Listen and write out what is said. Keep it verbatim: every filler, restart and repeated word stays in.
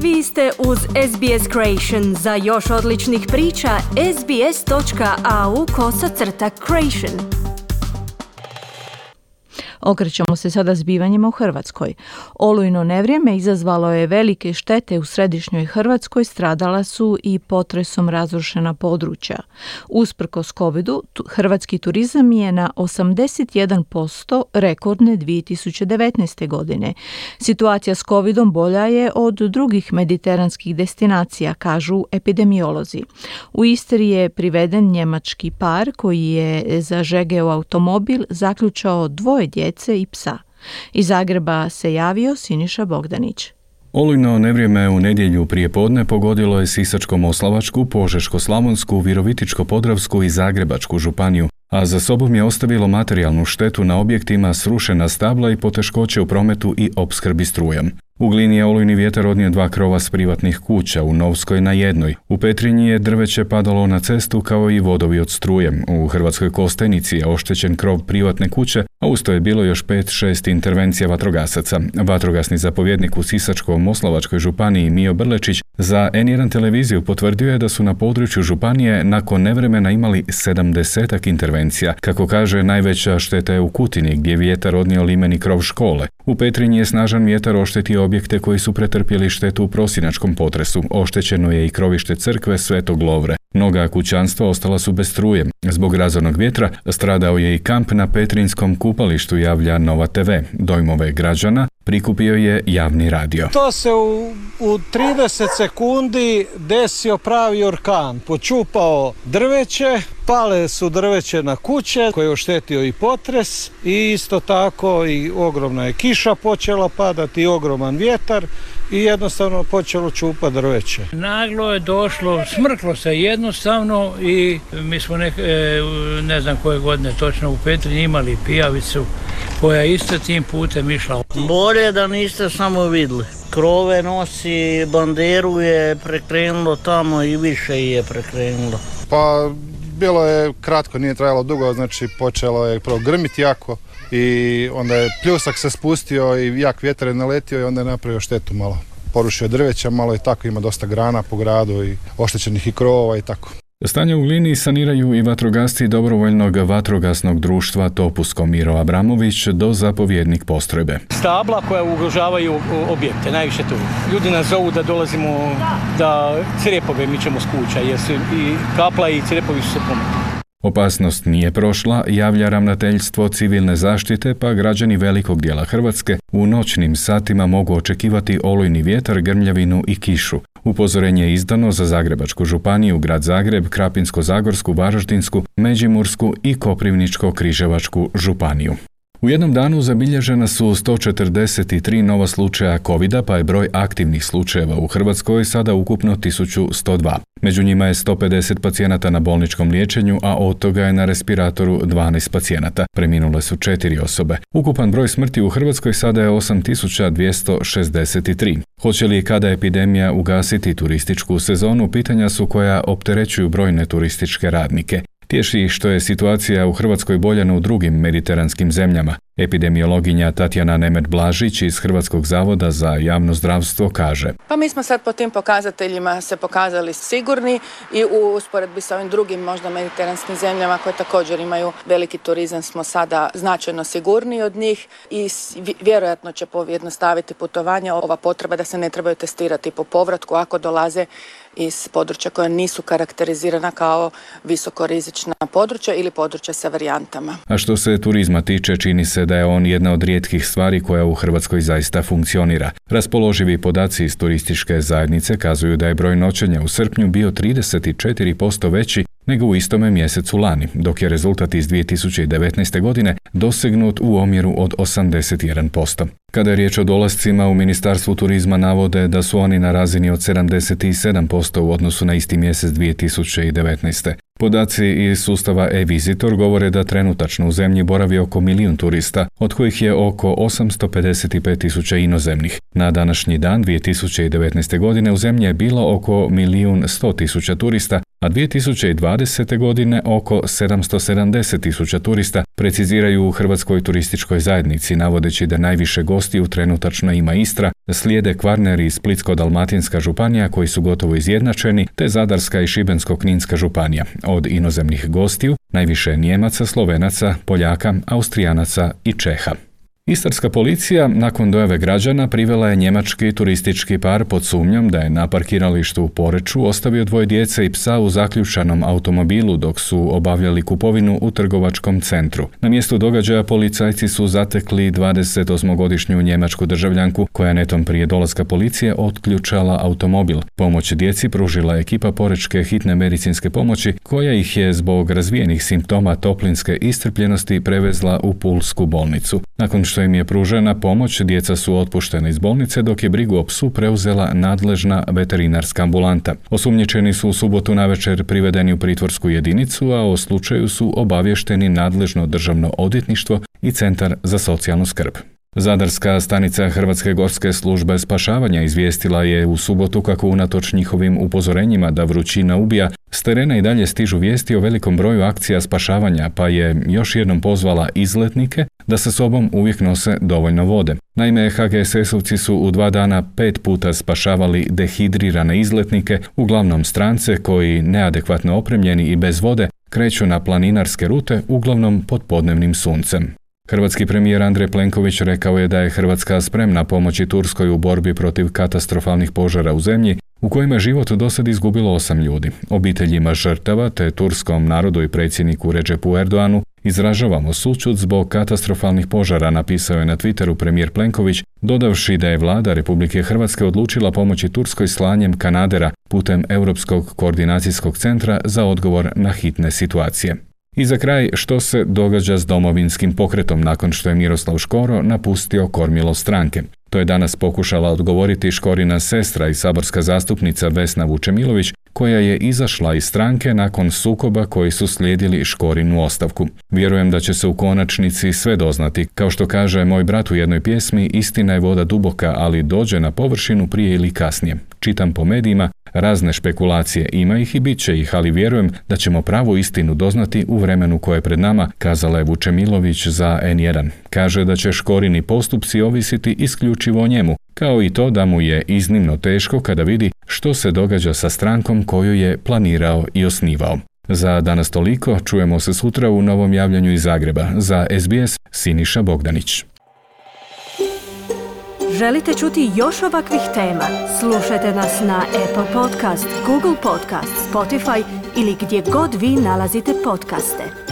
Vi ste uz S B S Creation. Za još odličnih priča, sbs.au kosacrta creation. Okrećemo se sada zbivanjima u Hrvatskoj. Olujno nevrijeme izazvalo je velike štete u središnjoj Hrvatskoj, stradala su i potresom razrušena područja. Usprkos covidu, hrvatski turizam je na osamdeset jedan posto rekordne dvije tisuće devetnaeste. godine. Situacija s covidom bolja je od drugih mediteranskih destinacija, kažu epidemiolozi. U Istri je priveden njemački par koji je zažegeo automobil, zaključao dvoje djece i psa. Iz Zagreba se javio Siniša Bogdanić. Olujno nevrijeme u nedjelju prije podne pogodilo je Sisačko-moslavačku, Požeško-slavonsku, Virovitičko-podravsku i Zagrebačku županiju, a za sobom je ostavilo materijalnu štetu na objektima, srušena stabla i poteškoće u prometu i opskrbi strujom. U Glini je olujni vjetar odnio dva krova s privatnih kuća, u Novskoj na jednoj. U Petrinji je drveće padalo na cestu kao i vodovi od struje. U Hrvatskoj Kostajnici je oštećen krov privatne kuće, a usto je bilo još pet šest intervencija vatrogasaca. Vatrogasni zapovjednik u Sisačko-moslavačkoj županiji Mijo Brlečić za en jedan televiziju potvrdio je da su na području županije nakon nevremena imali sedamdesetak intervencija. Kako kaže, najveća šteta je u Kutini gdje je vjetar odnio limeni krov škole. U Petrinji je snažan vjetar oštetio objekte koji su pretrpjeli štetu u prosinačkom potresu. Oštećeno je i krovište crkve Svetog Lovre. Mnoga kućanstva ostala su bez struje. Zbog razornog vjetra stradao je i kamp na Petrinjskom kupalištu, javlja Nova te ve. Dojmove građana prikupio je javni radio. To se u, u trideset sekundi desio pravi orkan. Počupao drveće, pale su drveće na kuće koje je oštetio i potres i isto tako i ogromna je kiša počela padati i ogroman vjetar i jednostavno počelo čupati drveće. Naglo je došlo, smrklo se jednostavno i mi smo ne, ne znam koje godine točno u Petrinji imali pijavicu koja isto tim putem išla. Bolje da niste samo vidjeli. Krove nosi, banderu je prekrenulo tamo i više je prekrenulo. Pa bilo je kratko, nije trajalo dugo, znači počelo je prvo grmiti jako i onda je pljusak se spustio i jak vjetar je naletio i onda je napravio štetu malo. Porušio drveća, malo i tako, ima dosta grana po gradu i oštećenih i krovova i tako. Stanje u Glini saniraju i vatrogasci dobrovoljnog vatrogasnog društva Topusko. Miro Abramović, do zapovjednik postrojbe. Stabla koja ugrožavaju objekte, najviše tu. Ljudi nas zovu da dolazimo, da crjepove mičemo s kuća, jer su i kapla i crjepovi su se pometili. Opasnost nije prošla, javlja ravnateljstvo civilne zaštite, pa građani velikog dijela Hrvatske u noćnim satima mogu očekivati olujni vjetar, grmljavinu i kišu. Upozorenje je izdano za Zagrebačku županiju, grad Zagreb, Krapinsko-zagorsku, Varaždinsku, Međimursku i Koprivničko-križevačku županiju. U jednom danu zabilježena su sto četrdeset tri nova slučaja covida, pa je broj aktivnih slučajeva u Hrvatskoj sada ukupno tisuću sto dva. Među njima je sto pedeset pacijenata na bolničkom liječenju, a od toga je na respiratoru dvanaest pacijenata. Preminule su četiri osobe. Ukupan broj smrti u Hrvatskoj sada je osam tisuća dvjesto šezdeset tri. Hoće li kada epidemija ugasiti turističku sezonu, pitanja su koja opterećuju brojne turističke radnike. Tješi ih što je situacija u Hrvatskoj bolja no u drugim mediteranskim zemljama. Epidemiologinja Tatjana Nemet-Blažić iz Hrvatskog zavoda za javno zdravstvo kaže: Pa mi smo sad po tim pokazateljima se pokazali sigurni i u usporedbi sa ovim drugim možda mediteranskim zemljama koje također imaju veliki turizam smo sada značajno sigurniji od njih i vjerojatno će pojednostaviti putovanja. Ova potreba da se ne trebaju testirati po povratku ako dolaze iz područja koja nisu karakterizirana kao visokorizična područja ili područja sa varijantama. A što se turizma tiče, čini se da je on jedna od rijetkih stvari koja u Hrvatskoj zaista funkcionira. Raspoloživi podaci iz turističke zajednice kazuju da je broj noćenja u srpnju bio trideset četiri posto veći nego u istome mjesecu lani, dok je rezultat iz dvije tisuće devetnaeste. godine dosegnut u omjeru od osamdeset jedan posto. Kada je riječ o dolascima, u Ministarstvu turizma navode da su oni na razini od sedamdeset sedam posto u odnosu na isti mjesec dvije tisuće devetnaeste. Podaci iz sustava e-Visitor govore da trenutačno u zemlji boravi oko milijun turista, od kojih je oko osamsto pedeset pet tisuća inozemnih. Na današnji dan dvije tisuće devetnaeste. godine u zemlji je bilo oko milijun sto tisuća turista, a dvije tisuće dvadesete. godine oko sedamsto sedamdeset tisuća turista, preciziraju u Hrvatskoj turističkoj zajednici, navodeći da najviše gostiju trenutačno ima Istra, slijede Kvarner i Splitsko-dalmatinska županija koji su gotovo izjednačeni, te Zadarska i Šibensko-kninska županija. Od inozemnih gostiju najviše Nijemaca, Slovenaca, Poljaka, Austrijanaca i Čeha. Istarska policija nakon dojave građana privela je njemački turistički par pod sumnjom da je na parkiralištu u Poreču ostavio dvoje djece i psa u zaključanom automobilu dok su obavljali kupovinu u trgovačkom centru. Na mjestu događaja policajci su zatekli dvadesetosmogodišnju njemačku državljanku koja je netom prije dolaska policije otključala automobil. Pomoć djeci pružila je ekipa porečke hitne medicinske pomoći koja ih je zbog razvijenih simptoma toplinske iscrpljenosti prevezla u pulsku bolnicu. Nakon što im je pružena pomoć, djeca su otpuštena iz bolnice dok je brigu o psu preuzela nadležna veterinarska ambulanta. Osumnjičeni su u subotu navečer privedeni u pritvorsku jedinicu, a o slučaju su obavješteni nadležno državno odvjetništvo i Centar za socijalnu skrb. Zadarska stanica Hrvatske gorske službe spašavanja izvijestila je u subotu kako unatoč njihovim upozorenjima da vrućina ubija, s terena i dalje stižu vijesti o velikom broju akcija spašavanja, pa je još jednom pozvala izletnike da sa sobom uvijek nose dovoljno vode. Naime, ha ge es esovci su u dva dana pet puta spašavali dehidrirane izletnike, uglavnom strance koji, neadekvatno opremljeni i bez vode, kreću na planinarske rute, uglavnom pod podnevnim suncem. Hrvatski premijer Andrej Plenković rekao je da je Hrvatska spremna pomoći Turskoj u borbi protiv katastrofalnih požara u zemlji, u kojima je život dosad izgubilo osam ljudi. Obiteljima žrtava te turskom narodu i predsjedniku Redžepu Erdoanu izražavamo sućut zbog katastrofalnih požara, napisao je na Twitteru premijer Plenković, dodavši da je vlada Republike Hrvatske odlučila pomoći Turskoj slanjem kanadera putem Europskog koordinacijskog centra za odgovor na hitne situacije. I za kraj, što se događa s Domovinskim pokretom nakon što je Miroslav Škoro napustio kormilo stranke. To je danas pokušala odgovoriti Škorina sestra i saborska zastupnica Vesna Vučemilović, koja je izašla iz stranke nakon sukoba koji su slijedili Škorinu ostavku. Vjerujem da će se u konačnici sve doznati. Kao što kaže moj brat u jednoj pjesmi, istina je voda duboka, ali dođe na površinu prije ili kasnije. Čitam po medijima, razne špekulacije, ima ih i bit će ih, ali vjerujem da ćemo pravu istinu doznati u vremenu koje je pred nama, kazala je Vučemilović za en jedan. Kaže da će Škorini postupci ovisiti isključivo o njemu, kao i to da mu je iznimno teško kada vidi što se događa sa strankom koju je planirao i osnivao. Za danas toliko, čujemo se sutra u novom javljanju iz Zagreba. Za es be es, Siniša Bogdanić. Želite čuti još ovakvih tema? Slušajte nas na Apple Podcast, Google Podcast, Spotify ili gdje god vi nalazite podcaste.